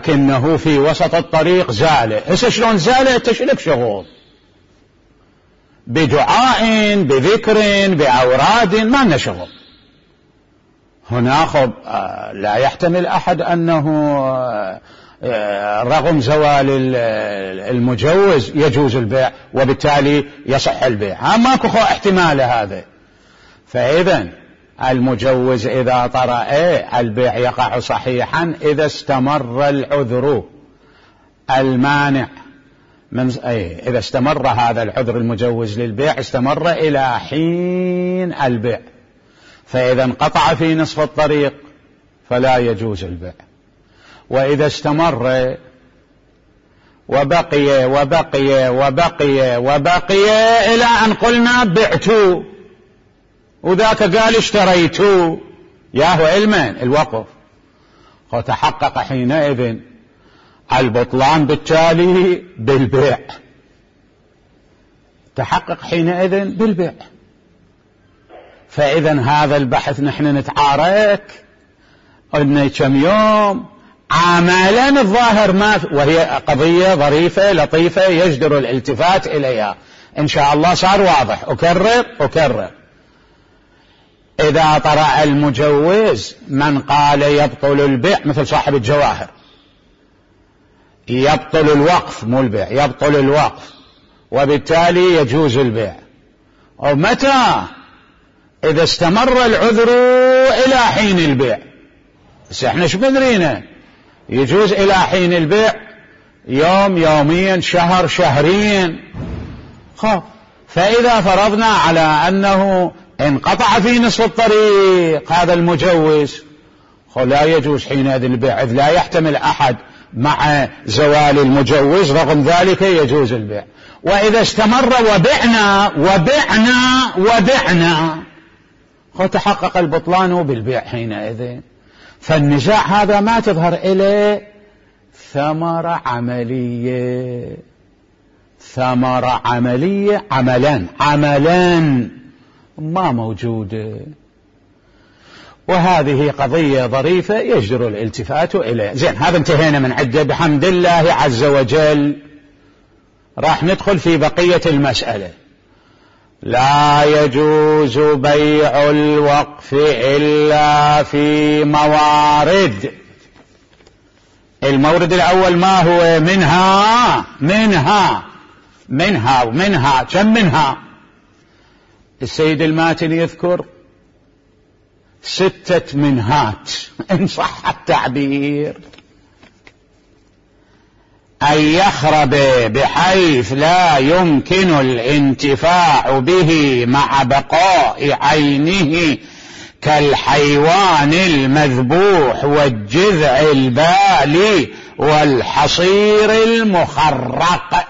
لكنه في وسط الطريق زالة. هسه شلون زالة؟ تشلك شغل بدعاء بذكر بأوراد، ما لنا شغل هنا. لا يحتمل أحد أنه رغم زوال المجوز يجوز البيع وبالتالي يصح البيع، ماكو احتمال هذا. فإذا المجوز إذا طرأ البيع يقع صحيحا إذا استمر العذر المانع إذا استمر هذا العذر المجوز للبيع استمر إلى حين البيع، فإذا انقطع في نصف الطريق فلا يجوز البيع. وإذا استمر وبقي وبقي وبقي وبقي إلى أن قلنا بعتوا وذاك قال اشتريتوا، ياهو علما الوقف، وتحقق حينئذ البطلان بالتالي بالبيع، تحقق حينئذ بالبيع. فإذا هذا البحث نحن نتعارك قلنا كم يوم عملا الظاهر ما، وهي قضية ظريفة لطيفة يجدر الالتفات إليها إن شاء الله. صار واضح، أكرر إذا طرأ المجوز من قال يبطل البيع مثل صاحب الجواهر، يبطل الوقف مو البيع، يبطل الوقف وبالتالي يجوز البيع. ومتى؟ إذا استمر العذر إلى حين البيع. بس احنا شو بدرينا يجوز إلى حين البيع؟ يوم يومين شهر شهرين. فإذا فرضنا على أنه انقطع في نصف الطريق هذا المجوز لا يجوز حينئذ البيع، إذ لا يحتمل أحد مع زوال المجوز، رغم ذلك يجوز البيع. وإذا استمر وبعنا تحقق البطلان بالبيع حينئذ. فالنزاع هذا ما تظهر إليه ثمرة عملية، ثمرة عملية عملا ما موجودة. وهذه قضية ظريفة يجدر الالتفات إليه. زين، هذا انتهينا من عدة بحمد الله عز وجل. راح ندخل في بقية المسألة. لا يجوز بيع الوقف إلا في موارد. المورد الأول ما هو؟ منها كم منها؟ السيد الماتن يذكر 6 منهات إن صح التعبير. أن يخرب بحيث لا يمكن الانتفاع به مع بقاء عينه كالحيوان المذبوح والجذع البالي والحصير المخرق.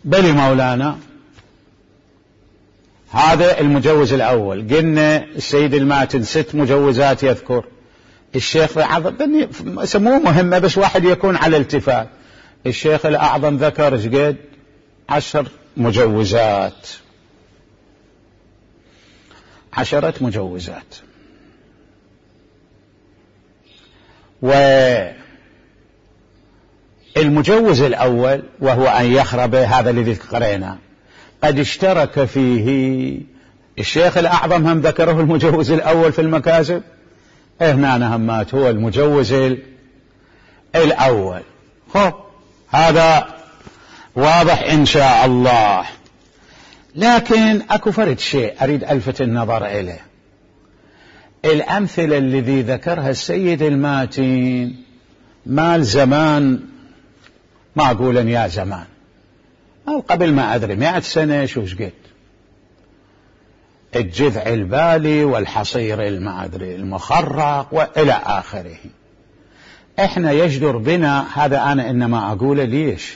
بل مولانا هذا المجوز الأول. قلنا السيد الماتن 6 مجوزات يذكر. الشيخ الأعظم سموه مهمة بس واحد يكون على التفات. الشيخ الأعظم ذكر قد 10 مجوزات، 10 مجوزات. والمجوز الأول وهو أن يخرب، هذا الذي قرأنا قد اشترك فيه الشيخ الأعظم، هم ذكره المجوز الأول في المكاسب. هنا نهمات هو المجوز الأول. هذا واضح إن شاء الله. لكن أكو فرد شيء أريد ألفت النظر إليه. الأمثلة الذي ذكرها السيد الماتن مال زمان، ما أقول يا زمان، أو قبل ما أدري 100 سنة شوش قد، الجذع البالي والحصير المعدري المخرق وإلى آخره. إحنا يجدر بنا هذا، أنا إنما أقول ليش؟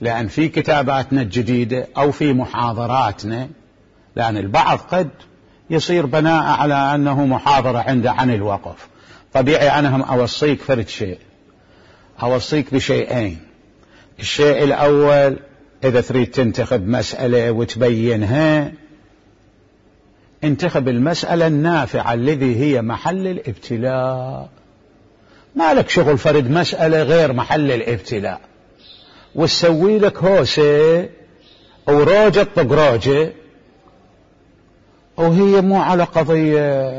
لأن في كتاباتنا الجديدة أو في محاضراتنا، لأن البعض قد يصير بناء على أنه محاضرة عنده عن الوقف. طبيعي أنا هم أوصيك فرد شيء، أوصيك بشيئين. الشيء الأول، إذا تريد تنتخب مسألة وتبينها انتخب المسألة النافعة الذي هي محل الابتلاء. ما لك شغل فرد مسألة غير محل الابتلاء وتسوي لك هوسة وروجة طقروجة وهي مو على قضية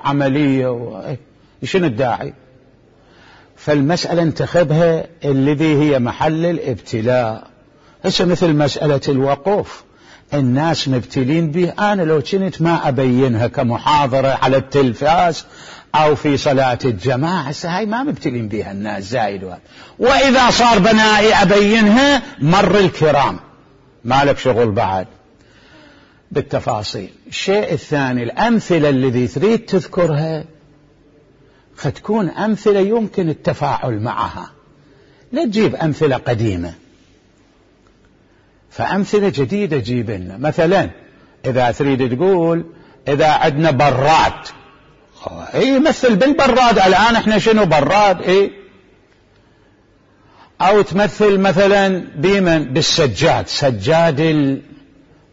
عملية شنو الداعي؟ فالمسألة انتخبها الذي هي محل الابتلاء. هسه مثل مسألة الوقوف الناس مبتلين به، أنا لو كنت ما أبينها كمحاضرة على التلفاز أو في صلاة الجماعة، هسه هاي ما مبتلين بها الناس زايد وإذا صار بنائي أبينها مر الكرام، ما لك شغل بعد بالتفاصيل. الشيء الثاني الأمثلة الذي تريد تذكرها فتكون أمثلة يمكن التفاعل معها، لا تجيب أمثلة قديمة، فأمثلة جديدة جيب لنا. مثلا إذا تريد تقول إذا عندنا براد، مثل بالبراد الآن احنا شنو براد، أو تمثل مثلا بمن بالسجاد، سجاد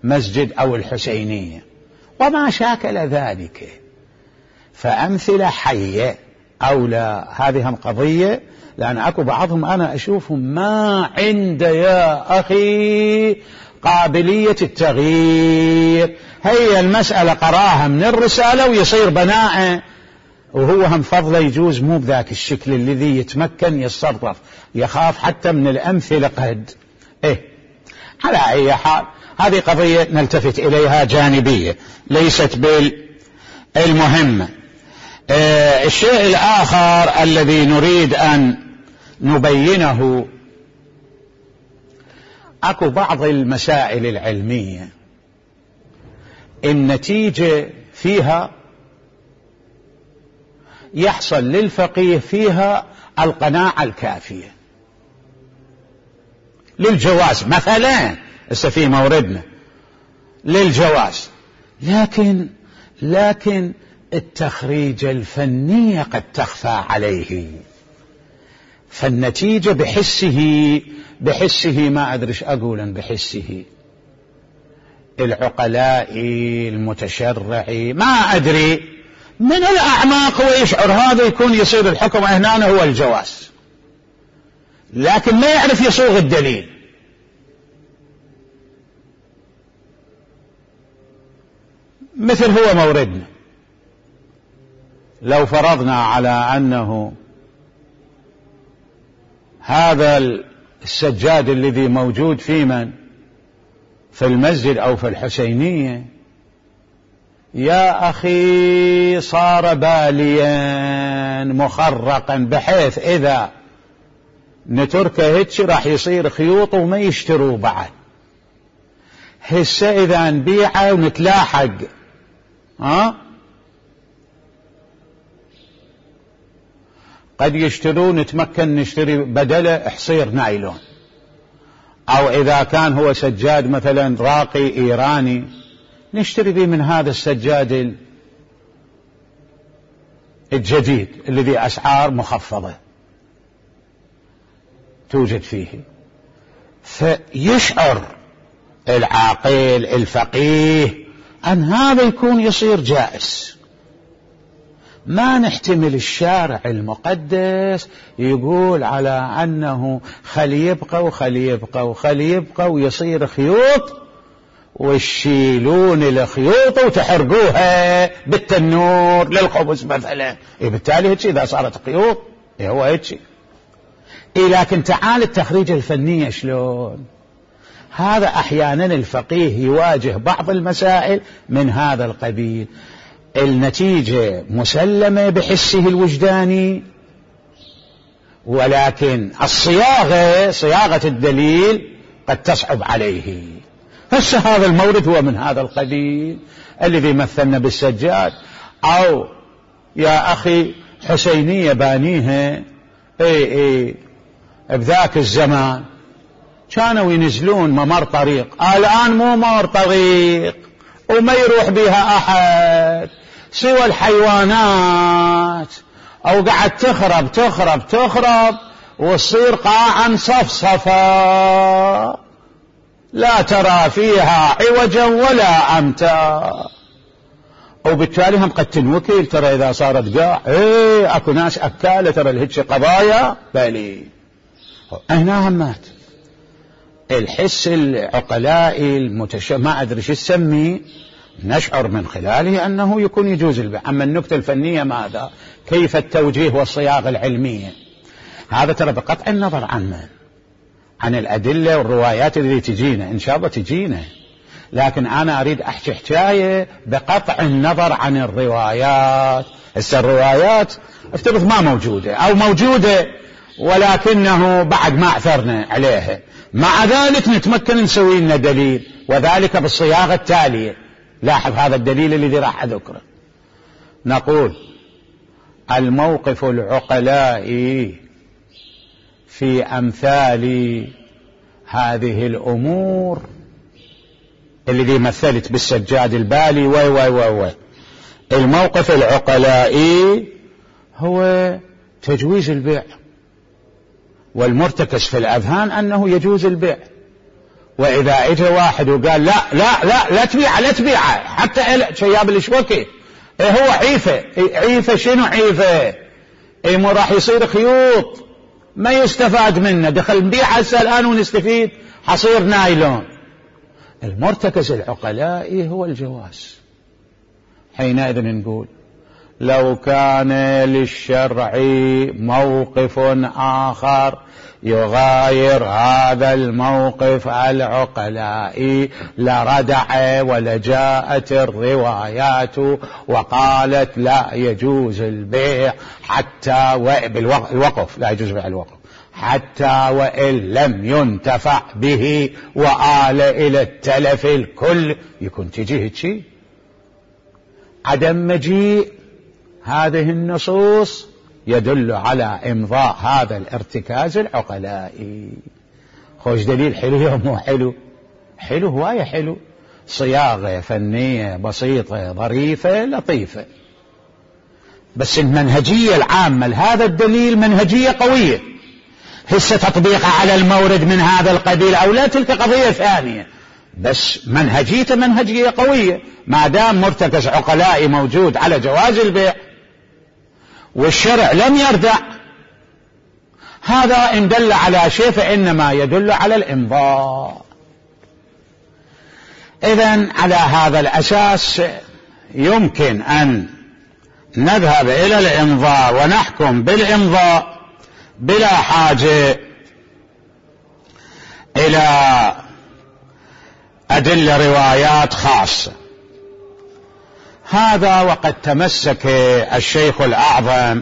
المسجد أو الحسينية وما شاكل ذلك، فأمثلة حية أو لا. هذه هم قضية، لأن أكو بعضهم أنا أشوفهم ما عنده يا أخي قابلية التغيير، هي المسألة قراها من الرسالة ويصير بناء، وهو هم فضله يجوز مو بذاك الشكل الذي يتمكن يتصرف، يخاف حتى من الأمثلة قد على أي حال هذه قضية نلتفت إليها جانبية ليست بالمهمة. الشيء الآخر الذي نريد أن نبينه، أكو بعض المسائل العلمية النتيجة فيها يحصل للفقيه فيها القناعة الكافية للجواز، مثلا في موردنا للجواز، لكن التخريجة الفنية قد تخفى عليه، فالنتيجة بحسه ما أدري ايش أقول، بحسه العقلائي المتشرعي ما أدري من الأعماق ويشعر هذا يكون يصير الحكم هنا هو الجواز، لكن ما يعرف يصوغ الدليل. مثل هو موردنا، لو فرضنا على أنه هذا السجاد الذي موجود في المسجد أو في الحسينية يا أخي صار باليا مخرقا بحيث إذا نتركه هيك راح يصير خيوط وما يشتروا بعد، هسه إذا نبيعه ونتلاحق قد يشترون نتمكن نشتري بدله حصير نايلون، أو إذا كان هو سجاد مثلا راقي إيراني نشتري به من هذا السجاد الجديد الذي أسعار مخفضة توجد فيه، فيشعر العاقل الفقيه أن هذا يكون يصير جائز. ما نحتمل الشارع المقدس يقول على أنه خلي يبقى ويصير خيوط ويشيلون الخيوط وتحرقوها بالتنور للخبز مثلا، بالتالي هيك إذا صارت خيوط هو هيك. لكن تعال التخريج الفنية شلون؟ هذا أحيانا الفقيه يواجه بعض المسائل من هذا القبيل، النتيجة مسلمة بحسه الوجداني، ولكن صياغة الدليل قد تصعب عليه. هذا المورد هو من هذا القبيل الذي مثلنا بالسجاد، أو يا أخي حسينية بانيها بذاك الزمان كانوا ينزلون ممر طريق، الآن مو ممر طريق وما يروح بها أحد سوى الحيوانات، أو قاعد تخرب وتصير قاعا صفصفا لا ترى فيها عوجا ولا أمتا. وبالتالي هم قد تنوكل. ترى إذا صارت قاع أكو ناس أكالة، ترى الهجة قضايا بالي هنا همات. الحس العقلائي ما أدري شو تسميه، نشعر من خلاله أنه يكون يجوز البيع. أما النكتة الفنية ماذا؟ كيف التوجيه والصياغة العلمية؟ هذا ترى بقطع النظر عن الأدلة والروايات اللي تجينا، إن شاء الله تجينا، لكن أنا أريد أحكي حكاية بقطع النظر عن الروايات. هسه الروايات افترض ما موجودة أو موجودة ولكنه بعد ما أعثرنا عليها، مع ذلك نتمكن نسوي لنا دليل، وذلك بالصياغة التالية. لاحظ هذا الدليل الذي راح أذكره. نقول الموقف العقلائي في أمثال هذه الأمور الذي مثلت بالسجاد البالي وي الموقف العقلائي هو تجويز البيع، والمرتكز في الأذهان أنه يجوز البيع. وإذا اجى واحد وقال لا لا لا لا تبيعه حتى شياب الشوكي، هو عيفة شنو عيفة؟ مو راح يصير خيوط ما يستفاد منه، دخل نبيع هسه الآن ونستفيد، حصير نايلون. المرتكز العقلائي هو الجواز. حينئذ نقول لو كان للشرع موقف آخر يغاير هذا الموقف العقلائي لردع ولجاءت الروايات وقالت لا يجوز البيع حتى الوقف، لا يجوز بيع الوقف حتى وإن لم ينتفع به وآل إلى التلف الكل. يكون تجيه شيء عدم مجيء هذه النصوص يدل على إمضاء هذا الارتكاز العقلائي. خوش دليل حلو يوم مو حلو؟ حلو هواية حلو، صياغة فنية بسيطة ظريفة لطيفة، بس المنهجية العامة لهذا الدليل منهجية قوية. هسه تطبيقها على المورد من هذا القبيل أو لا تلك قضية ثانية، بس منهجيته منهجية قوية. ما دام مرتكز عقلائي موجود على جواز البيع والشرع لم يردع، هذا إن دل على شيء فإنما يدل على الإمضاء. إذن على هذا الأساس يمكن أن نذهب إلى الإمضاء ونحكم بالإمضاء بلا حاجة إلى أدلة روايات خاصة. هذا وقد تمسك الشيخ الأعظم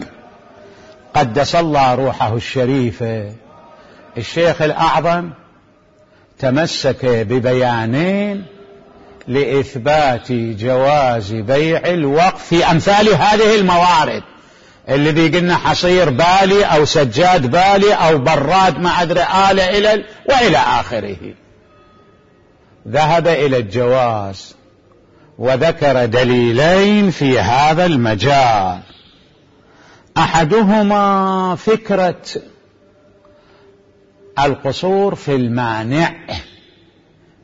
قدس الله روحه الشريفة، الشيخ الأعظم تمسك ببيانين لإثبات جواز بيع الوقف في أمثال هذه الموارد، الذي قلنا حصير بالي أو سجاد بالي أو براد ما أدري آلة وإلى آخره. ذهب إلى الجواز وذكر دليلين في هذا المجال. أحدهما فكرة القصور في المانع،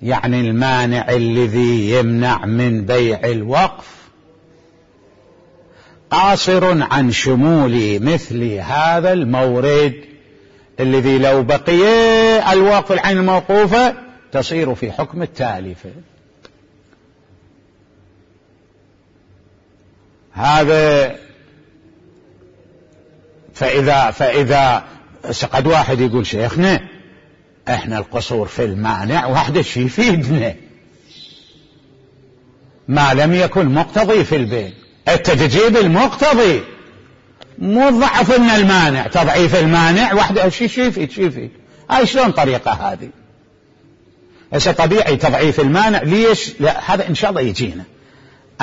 يعني المانع الذي يمنع من بيع الوقف قاصر عن شمول مثل هذا المورد الذي لو بقي الوقف العين الموقوفة تصير في حكم التالفة. هذا فإذا قد واحد يقول شيخنا احنا القصور في المانع واحدة شي يفيدنا ما لم يكن مقتضي في البيع. انت تجيب المقتضي مو ضعف لنا المانع، تضعيف المانع واحدة شي يفيد. هاي شلون طريقة هذه؟ هسه طبيعي تضعيف المانع ليش؟ لا هذا ان شاء الله يجينا.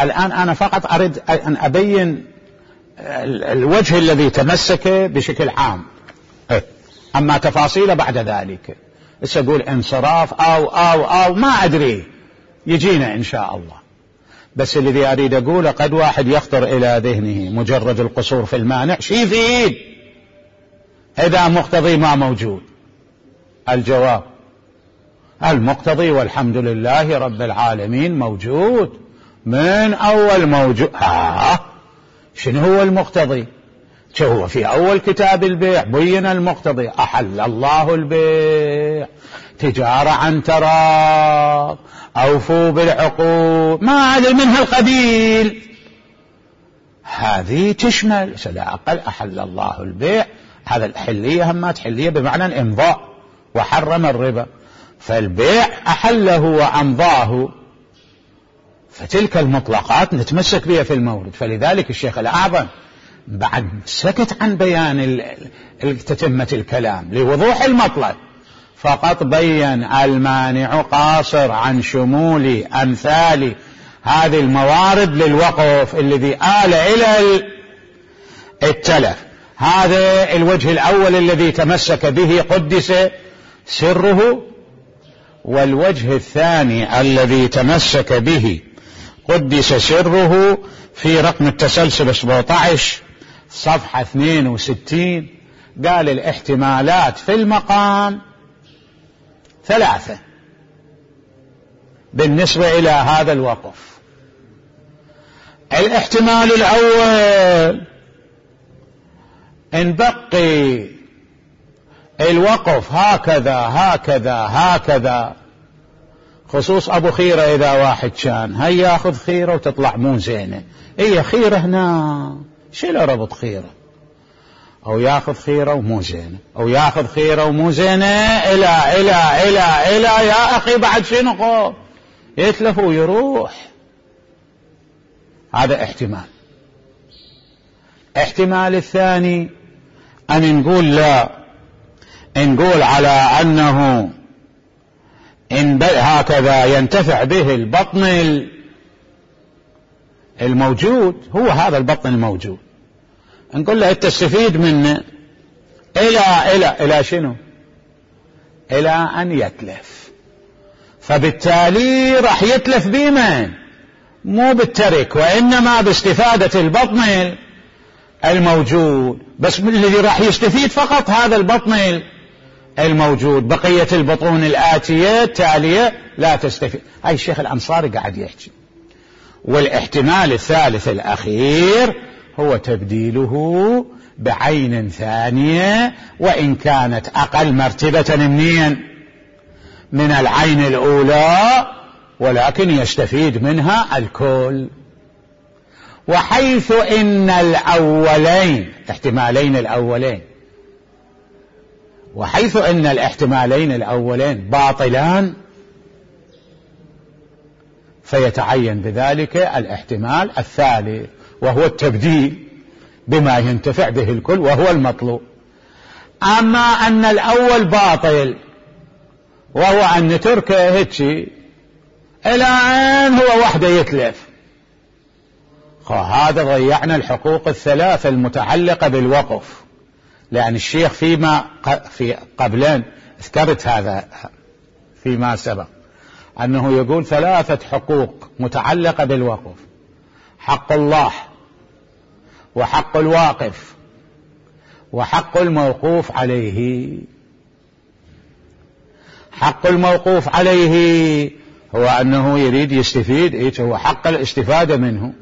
الآن أنا فقط أريد أن أبين الوجه الذي تمسك بشكل عام، أما تفاصيله بعد ذلك. أقول انصراف أو ما أدري يجينا إن شاء الله. بس الذي أريد أقوله قد واحد يخطر إلى ذهنه مجرد القصور في المانع شي يفيد إذا مقتضي ما موجود. الجواب المقتضي والحمد لله رب العالمين موجود، من أول موجود. شنو هو المقتضي؟ هو في أول كتاب البيع بين المقتضي: أحل الله البيع تجارة عن تراض، أوفوا بالعقود، ما عدا من هالقبيل. هذه تشمل لا أقل أحل الله البيع، هذا الحلية همات حلية بمعنى الإمضاء، وحرم الربا، فالبيع أحله وأمضاه، فتلك المطلقات نتمسك بها في المورد. فلذلك الشيخ الأعظم بعد سكت عن بيان تتمة الكلام لوضوح المطلب، فقط بين المانع قاصر عن شمول أمثال هذه الموارد للوقف الذي آل إلى التلف. هذا الوجه الأول الذي تمسك به قدس سره. والوجه الثاني الذي تمسك به قدس سره في رقم التسلسل 17 صفحة 62، قال الاحتمالات في المقام 3 بالنسبة إلى هذا الوقف. الاحتمال الأول: إن بقي الوقف هكذا هكذا هكذا، خصوص أبو خيرة إذا واحد كان هي ياخذ خيرة وتطلع مو زينة، هي خيرة هنا شيله ربط خيرة، أو ياخذ خيرة ومو زينة، أو ياخذ خيرة ومو زينة إلى إلى إلى إلى يا أخي بعد شنو يتلف ويروح. هذا احتمال. احتمال الثاني أن نقول لا، نقول على أنه إن هكذا ينتفع به البطن الموجود، هو هذا البطن الموجود، نقول له تستفيد منه إلى شنو؟ إلى أن يتلف. فبالتالي راح يتلف بمن؟ مو بالترك، وإنما باستفادة البطن الموجود، بس الذي راح يستفيد فقط هذا البطن الموجود، بقية البطون الآتية التالية لا تستفيد. هاي الشيخ الأنصاري قاعد يحكي. والاحتمال الثالث الأخير هو تبديله بعين ثانية، وإن كانت أقل مرتبة من العين الأولى، ولكن يستفيد منها الكل. وحيث إن الأولين احتمالين الأولين، وحيث إن الاحتمالين الأولين باطلان، فيتعين بذلك الاحتمال الثالث، وهو التبديل بما ينتفع به الكل، وهو المطلوب. أما أن الأول باطل، وهو أن نتركه هيك إلى أن هو وحده يتلف، هذا ضيعنا الحقوق الثلاثة المتعلقة بالوقف. لأن الشيخ في قبلين ذكرت هذا فيما سبق، أنه يقول 3 حقوق متعلقة بالوقف: حق الله، وحق الواقف، وحق الموقوف عليه. حق الموقوف عليه هو أنه يريد يستفيد، هو حق الاستفادة منه.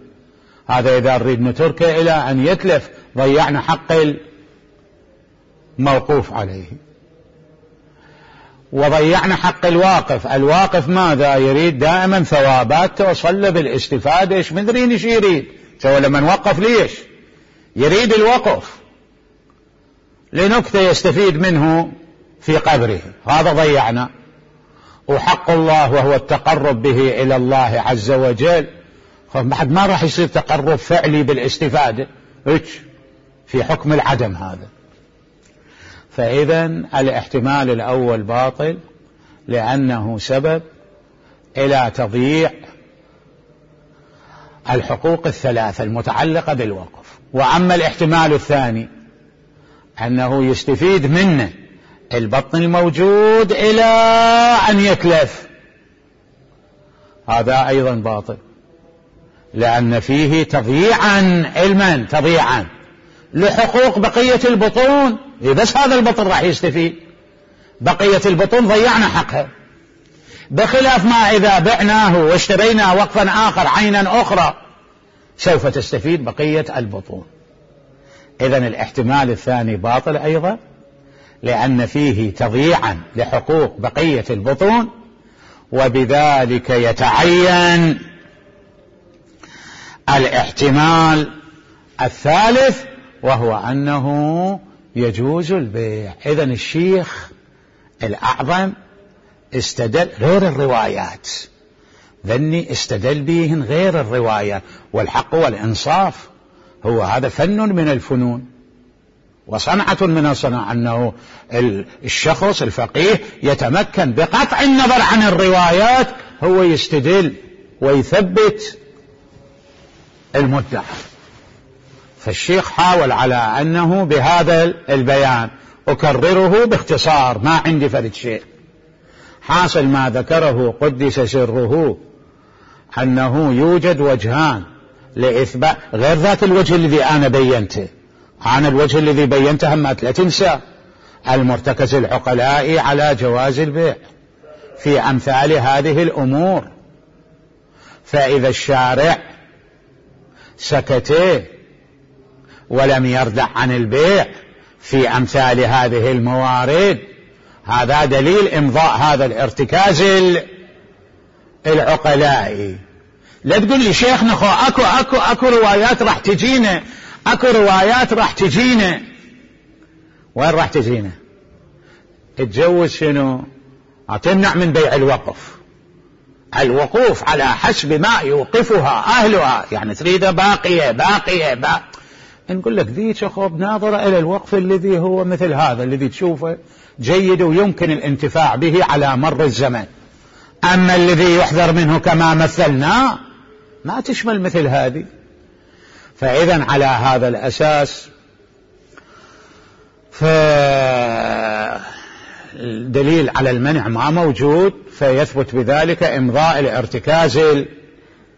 هذا إذا نريد نتركه إلى أن يتلف ضيعنا حق الموقوف عليه، وضيعنا حق الواقف. الواقف ماذا يريد؟ دائما ثوابات توصل له بالاستفادة. ايش مدرين ايش يريد؟ سوى لما نوقف ليش يريد الوقف؟ لنكتة يستفيد منه في قبره، هذا ضيعنا. وحق الله وهو التقرب به إلى الله عز وجل، بعد ما راح يصير تقرب فعلي بالاستفادة، في حكم العدم هذا. فإذا الاحتمال الأول باطل لأنه سبب إلى تضييع الحقوق الثلاثة المتعلقة بالوقف. وأما الاحتمال الثاني أنه يستفيد منه البطن الموجود إلى أن يتلف، هذا أيضا باطل، لأن فيه تضييعا لحقوق بقية البطون. بس هذا البطن راح يستفيد، بقية البطون ضيعنا حقها. بخلاف ما إذا بعناه واشترينا وقفا آخر عينا أخرى سوف تستفيد بقية البطون. إذن الاحتمال الثاني باطل أيضا، لأن فيه تضييعا لحقوق بقية البطون، وبذلك يتعين الاحتمال الثالث وهو أنه يجوز البيع. إذن الشيخ الأعظم استدل غير الروايات، ذني استدل بهن غير الروايات، والحق والإنصاف هو هذا فن من الفنون وصنعة من الصنع، أنه الشخص الفقيه يتمكن بقطع النظر عن الروايات هو يستدل ويثبت المدعى. فالشيخ حاول على أنه بهذا البيان أكرره باختصار، ما عندي فرد شيء. حاصل ما ذكره قدس سره أنه يوجد وجهان لإثبات غير ذات الوجه الذي أنا بينته. أنا الوجه الذي بينته هم لا تنسى المرتكز العقلائي على جواز البيع في أمثال هذه الأمور. فإذا الشارع سكت ولم يردع عن البيع في أمثال هذه الموارد، هذا دليل إمضاء هذا الارتكاز العقلائي. لا تقول لي شيخ نخو أكو روايات راح تجينا، أكو روايات راح تجينا. وين راح تجينا؟ تجوز شنو؟ تمنع من بيع الوقف، الوقوف على حسب ما يوقفها أهلها، يعني تريد باقية نقول لك ذيك أخو بناظرة إلى الوقف الذي هو مثل هذا الذي تشوفه جيد ويمكن الانتفاع به على مر الزمن. أما الذي يحذر منه كما مثلنا ما تشمل مثل هذه. فإذا على هذا الأساس فالدليل على المنع ما موجود، فيثبت بذلك إمضاء الارتكاز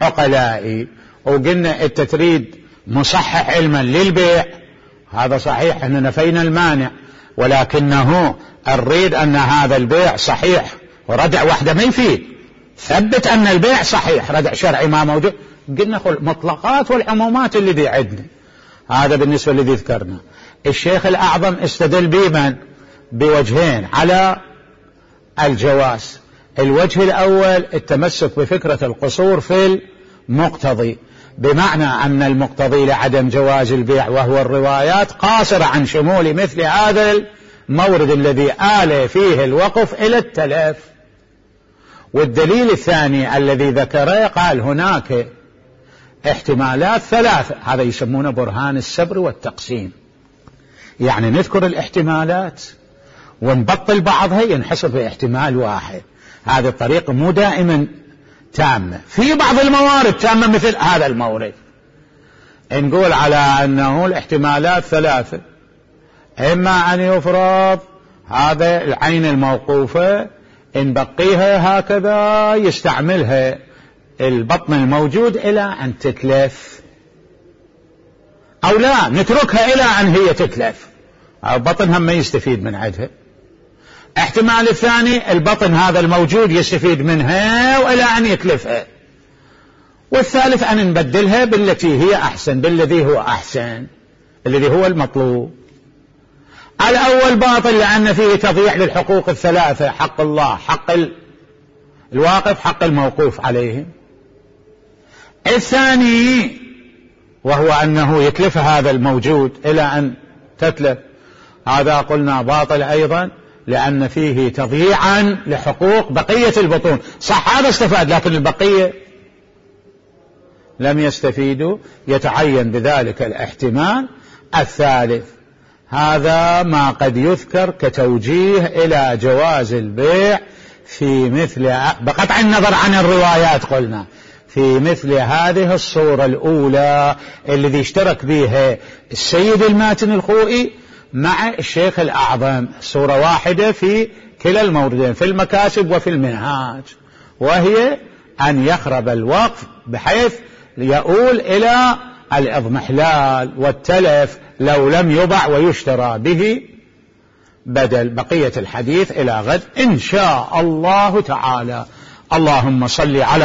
العقلائي. وقلنا أنت تريد مصحح علما للبيع، هذا صحيح، احنا نفينا المانع، ولكنه نريد أن هذا البيع صحيح، وردع واحدة ما يفيد، ثبت أن البيع صحيح، ردع شرعي ما موجود. قلنا المطلقات والعمومات الذي عندنا، هذا بالنسبة للذي ذكرنا. الشيخ الأعظم استدل بمن؟ بوجهين على الجواز. الوجه الأول التمسك بفكرة القصور في المقتضي، بمعنى أن المقتضي لعدم جواز البيع وهو الروايات قاصر عن شمول مثل هذا المورد الذي آل فيه الوقف إلى التلف. والدليل الثاني الذي ذكره قال هناك احتمالات ثلاثة، هذا يسمونه برهان السبر والتقسيم، يعني نذكر الاحتمالات ونبطل بعضها ينحصر في احتمال واحد. هذه الطريقة مو دائما تامة، في بعض الموارد تامة مثل هذا المورد. نقول على أنه الاحتمالات ثلاثة، إما أن يفرض هذا العين الموقوفة إن بقيها هكذا يستعملها البطن الموجود إلى أن تتلف، أو لا نتركها إلى أن هي تتلف، البطن هم ما يستفيد من عدها. احتمال الثاني البطن هذا الموجود يستفيد منها وإلى أن يتلفها. والثالث أن نبدلها بالتي هي أحسن، بالذي هو أحسن، الذي هو المطلوب. الأول باطل لأن فيه تضييع للحقوق الثلاثة، حق الله، حق الواقف، حق الموقوف عليه. الثاني وهو أنه يتلف هذا الموجود إلى أن تتلف، هذا قلنا باطل أيضا لأن فيه تضييعا لحقوق بقية البطون. صح هذا استفاد لكن البقية لم يستفيدوا، يتعين بذلك الاحتمال الثالث. هذا ما قد يذكر كتوجيه إلى جواز البيع في مثل بقطع النظر عن الروايات، قلنا في مثل هذه الصورة الأولى الذي اشترك بها السيد الماتن الخوئي مع الشيخ الأعظم، صورة واحدة في كلا الموردين، في المكاسب وفي المنهاج، وهي أن يخرب الوقف بحيث يؤول إلى الإضمحلال والتلف لو لم يبع ويشترى به بدل. بقية الحديث إلى غد إن شاء الله تعالى. اللهم صل على